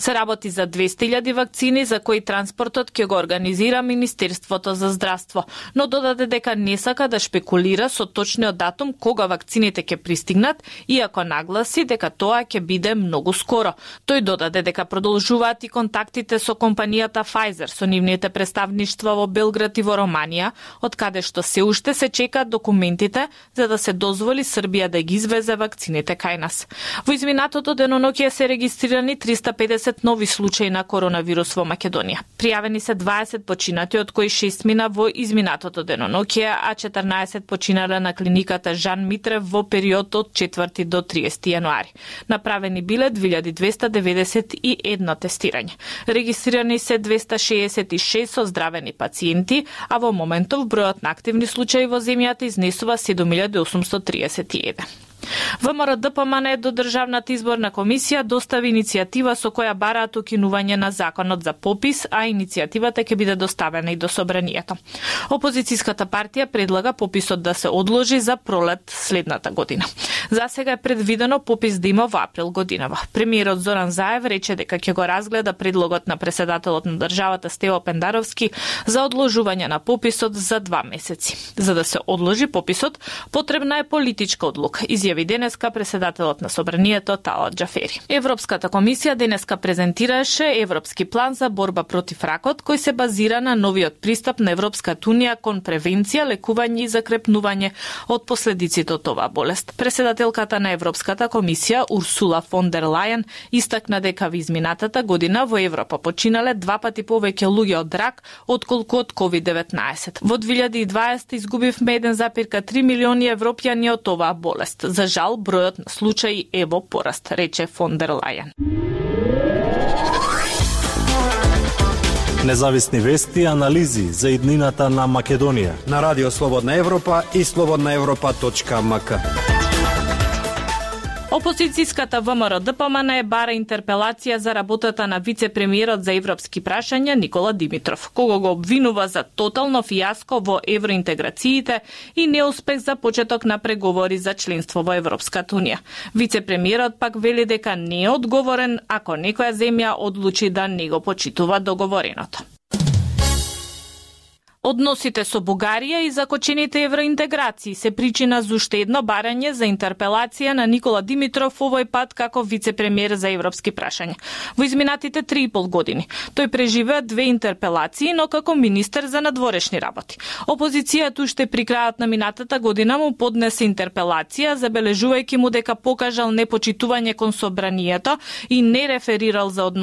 Се работи за 200.000 вакцини за кои транспортот ќе го организира Министерството за здравство, но додаде дека не сака да шпекулира со точниот датум кога вакцините ќе пристигнат, иако нагласи дека тоа ќе биде многу скоро. Тој додаде дека продолжуваат и контактите со компанијата Pfizer, со нивните представништва во Белград и во Романија, од каде што се уште се чекаат документите за да се дозволи Србија да ги извезе вакцините кај нас. Во изминатото деноноќие се регистрирани 350 нови случаи на коронавирус во Македонија. Пријавени се 20 починати, од кои 6 мина во изминатото деноноќие, а 14 починале на клиниката Жан Митрев во период од 4 до 30 јануари. Направени биле 2291 тестирање. Регистрирани се 266 оздравени пациенти, а во моментов бројот на активни случаи во земјата изнесува 7831. ВМРО ДПМН до Државната изборна комисија достави иницијатива со која бараат укинување на законот за попис, а иницијативата ќе биде доставена и до собранието. Опозицијската партија предлага пописот да се одложи за пролет следната година. За сега е предвидено попис да има во април годинава. Премиерот Зоран Заев рече дека ќе го разгледа предлогот на претседателот на државата Стево Пендаровски за одложување на пописот за 2 месеци. За да се одложи пописот, потребна е политичка одлука, изјави денеска претседателот на собранието Талат Џафери. Европската комисија денеска презентираше Европски план за борба против ракот, кој се базира на новиот пристап на Европската унија кон превенција, лекување и закрепнување од последиците од оваа болест. Претседателката на Европската комисија Урсула фон дер Лајен истакна дека во изминатата година во Европа починале 2 пати повеќе луѓе од рак отколку од COVID-19. Во 2020 изгубивме 1,3 милиони европјани од оваа болест. За жал, бројот на случаи е во пораст, рече фон дер Лајен. Независни вести и анализи за иднината на Македонија на Радио Слободна Европа и slobodnaevropa.mk. Опозицијската ВМРО ДПМН бара интерпелација за работата на вице-премиерот за европски прашања Никола Димитров, кого го обвинува за тотално фијаско во евроинтеграциите и неуспех за почеток на преговори за членство во Европската унија. Вице-премиерот пак вели дека не е одговорен ако некоја земја одлучи да не го почитува договореното. Односите со Бугарија и закочените евроинтеграции се причина за уште едно барање за интерпелација на Никола Димитров, овој пат како вице-премиер за европски прашања. Во изминатите 3,5 години тој преживеа 2 интерпелации, но како министер за надворешни работи. Опозицијата уште при крајот на минатата година му поднесе интерпелација, забележувајќи му дека покажал непочитување кон собранието и не реферирал за односите